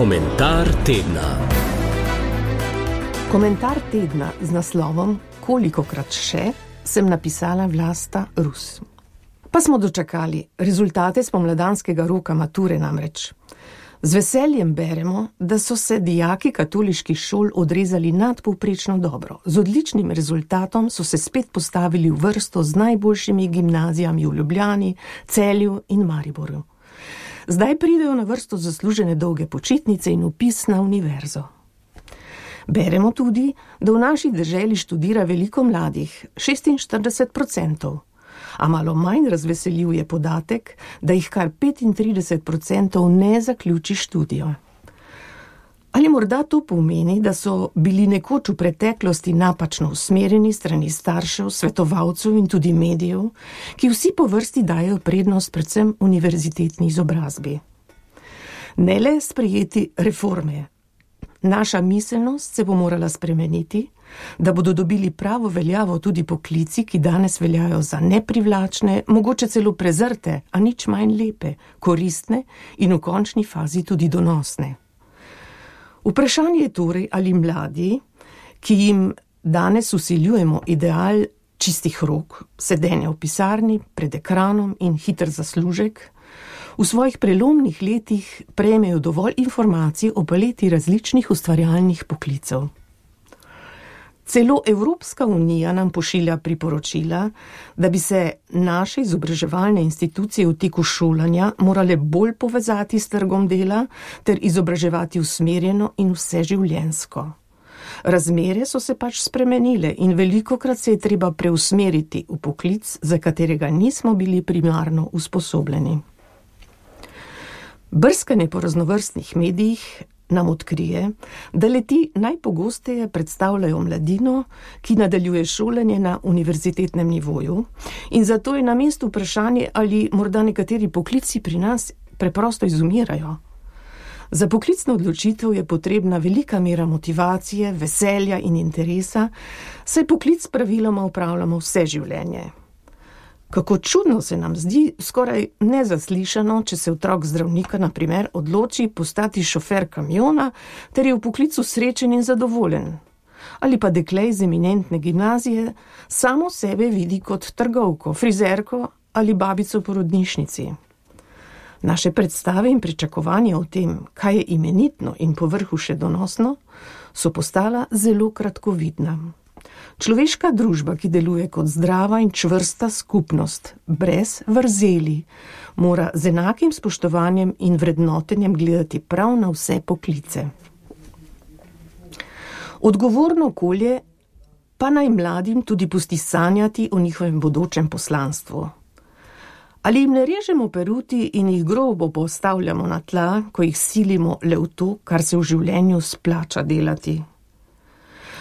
Komentar tedna. Komentar tedna z naslovom Kolikokrat še sem napisala Vlasta Rus. Pa smo dočakali rezultate spomladanskega roka mature namreč. Z veseljem beremo, da so se dijaki katoliških šol odrezali nadpovprečno dobro. Z odličnim rezultatom so se spet postavili v vrsto z najboljšimi gimnazijami v Ljubljani, Celju in Mariboru. Zdaj pridejo na vrsto zaslužene dolge počitnice in vpis na univerzo. Beremo tudi, da v naši deželi študira veliko mladih, 46%, a malo manj razveseljiv je podatek, da jih kar 35% ne zaključi študijo. Ali morda to pomeni, da so bili nekoč v preteklosti napačno usmerjeni strani staršev, svetovalcev in tudi medijev, ki vsi po vrsti dajo prednost predvsem univerzitetni izobrazbi. Ne le sprejeti reforme. Naša miselnost se bo morala spremeniti, da bodo dobili pravo veljavo tudi poklici, ki danes veljajo za neprivlačne, mogoče celo prezrte, a nič manj lepe, koristne in v končni fazi tudi donosne. Vprašanje je torej, ali mladi, ki jim danes vsiljujemo ideal čistih rok, sedenja v pisarni, pred ekranom in hiter zaslužek, v svojih prelomnih letih prejmejo dovolj informacij o paleti različnih ustvarjalnih poklicev. Celo Evropska unija nam pošilja priporočila, da bi se naše izobraževalne institucije v teku šolanja morale bolj povezati s trgom dela ter izobraževati usmerjeno in vseživljenjsko. Razmere so se pač spremenile in velikokrat se je treba preusmeriti v poklic, za katerega nismo bili primarno usposobljeni. Brskanje po raznovrstnih medijih nam odkrije, da le-ti najpogosteje predstavljajo mladino, ki nadaljuje šolanje na univerzitetnem nivoju, in zato je na mestu vprašanje, ali morda nekateri poklici pri nas preprosto izumirajo. Za poklicno odločitev je potrebna velika mera motivacije, veselja in interesa, saj poklic praviloma opravljamo vse življenje. Kako čudno se nam zdi, skoraj nezaslišano, če se otrok zdravnika, na primer, odloči postati šofer kamiona, ter je v poklicu srečen in zadovoljen. Ali pa dekle iz eminentne gimnazije samo sebe vidi kot trgovko, frizerko ali babico v porodnišnici. Naše predstave in pričakovanja o tem, kaj je imenitno in povrhu še donosno, so postala zelo kratkovidna. Človeška družba, ki deluje kot zdrava in čvrsta skupnost, brez vrzeli, mora z enakim spoštovanjem in vrednotenjem gledati prav na vse poklice. Odgovorno okolje pa naj mladim tudi pusti sanjati o njihovem bodočem poslanstvu. Ali jim ne režemo peruti in jih grobo postavljamo na tla, ko jih silimo le v to, kar se v življenju splača delati?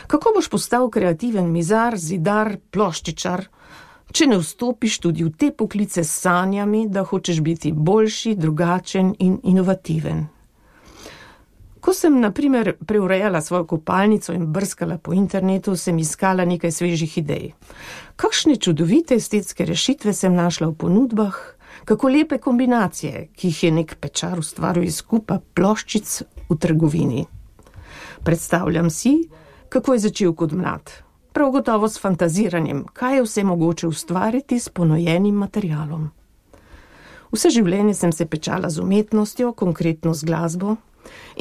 Kako boš postal kreativen mizar, zidar, ploščičar, če ne vstopiš tudi v te poklice s sanjami, da hočeš biti boljši, drugačen in inovativen? Ko sem, na primer, preurejala svojo kopalnico in brskala po internetu, sem iskala nekaj svežih idej. Kakšne čudovite estetske rešitve sem našla v ponudbah, kako lepe kombinacije, ki jih je nek pečar ustvaril iz kupa ploščic v trgovini. Predstavljam si, kako je začel kot mlad. Prav gotovo s fantaziranjem, kaj je vse mogoče ustvariti s ponojenim materialom. Vse življenje sem se pečala z umetnostjo, konkretno z glasbo,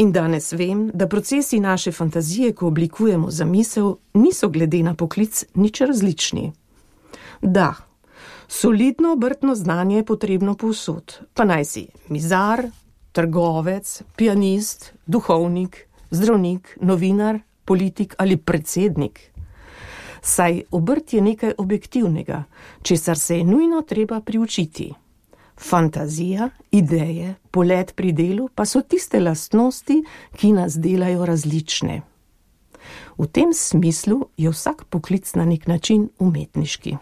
in danes vem, da procesi naše fantazije, ko oblikujemo zamisel, niso glede na poklic nič različni. Da, solidno obrtno znanje je potrebno povsod, pa naj si mizar, trgovec, pianist, duhovnik, zdravnik, novinar, politik ali predsednik. Saj obrt je nekaj objektivnega, česar se je nujno treba priučiti. Fantazija, ideje, polet pri delu pa so tiste lastnosti, ki nas delajo različne. V tem smislu je vsak poklic na nek način umetniški.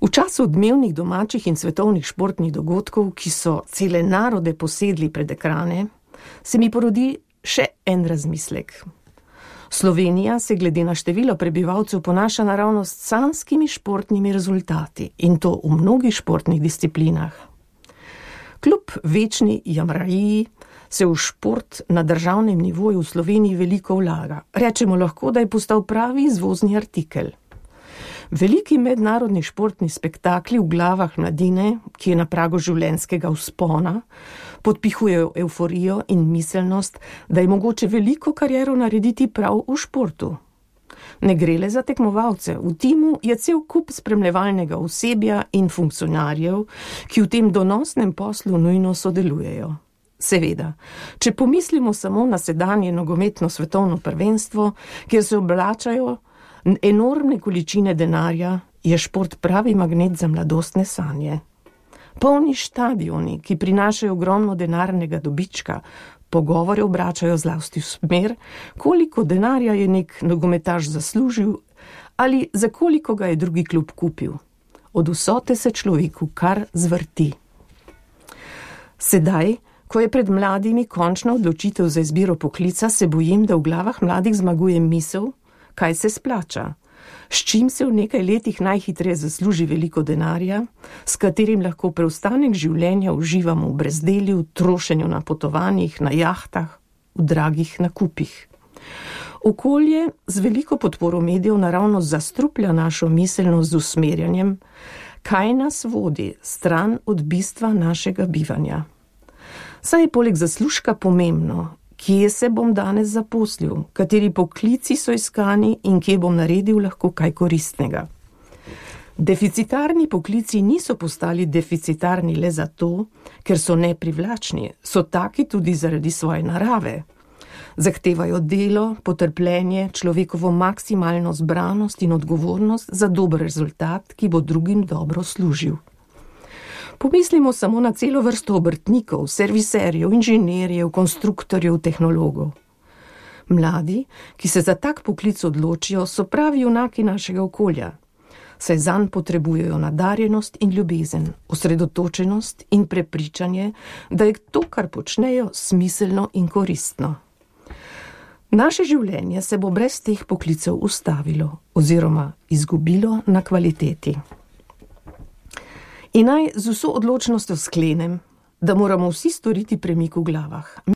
V času odmevnih domačih in svetovnih športnih dogodkov, ki so cele narode posedli pred ekrane, se mi porodi še en razmislek. Slovenija se glede na število prebivalcev ponaša naravnost s sanjskimi športnimi rezultati, in to v mnogih športnih disciplinah. Kljub večni jamrariji se v šport na državnem nivoju v Sloveniji veliko vlaga. Rečemo lahko, da je postal pravi izvozni artikel. Veliki mednarodni športni spektakli v glavah mladine, ki je na pragu življenjskega vzpona, podpihujejo evforijo in miselnost, da je mogoče veliko kariero narediti prav v športu. Ne gre le za tekmovalce, v timu je cel kup spremljevalnega osebja in funkcionarjev, ki v tem donosnem poslu nujno sodelujejo. Seveda, če pomislimo samo na sedanje nogometno svetovno prvenstvo, kjer se oblačajo enormne količine denarja, je šport pravi magnet za mladostne sanje. Polni štadioni, ki prinašajo ogromno denarnega dobička, pogovore obračajo zlasti v smer, koliko denarja je nek nogometaš zaslužil ali za koliko ga je drugi klub kupil. Od vsote se človeku kar zvrti. Sedaj, ko je pred mladimi končna odločitev za izbiro poklica, se bojim, da v glavah mladih zmaguje misel, kaj se splača, s čim se v nekaj letih najhitreje zasluži veliko denarja, s katerim lahko preostanek življenja uživamo v brezdelju, trošenju na potovanjih, na jahtah, v dragih nakupih. Okolje z veliko podporo medijev naravno zastruplja našo miselnost z usmerjanjem, kaj nas vodi stran od bistva našega bivanja. Saj je poleg zaslužka pomembno, kje se bom danes zaposlil, kateri poklici so iskani in kje bom naredil lahko kaj koristnega. Deficitarni poklici niso postali deficitarni le zato, ker so neprivlačni, so taki tudi zaradi svoje narave. Zahtevajo delo, potrpljenje, človekovo maksimalno zbranost in odgovornost za dober rezultat, ki bo drugim dobro služil. Pomislimo samo na celo vrsto obrtnikov, serviserjev, inženirjev, konstruktorjev, tehnologov. Mladi, ki se za tak poklic odločijo, so pravi junaki našega okolja, saj zanj potrebujejo nadarjenost in ljubezen, osredotočenost in prepričanje, da je to, kar počnejo, smiselno in koristno. Naše življenje se bo brez teh poklicev ustavilo oziroma izgubilo na kvaliteti. In naj z vso odločnostjo sklenem, da moramo vsi storiti premik v glavah.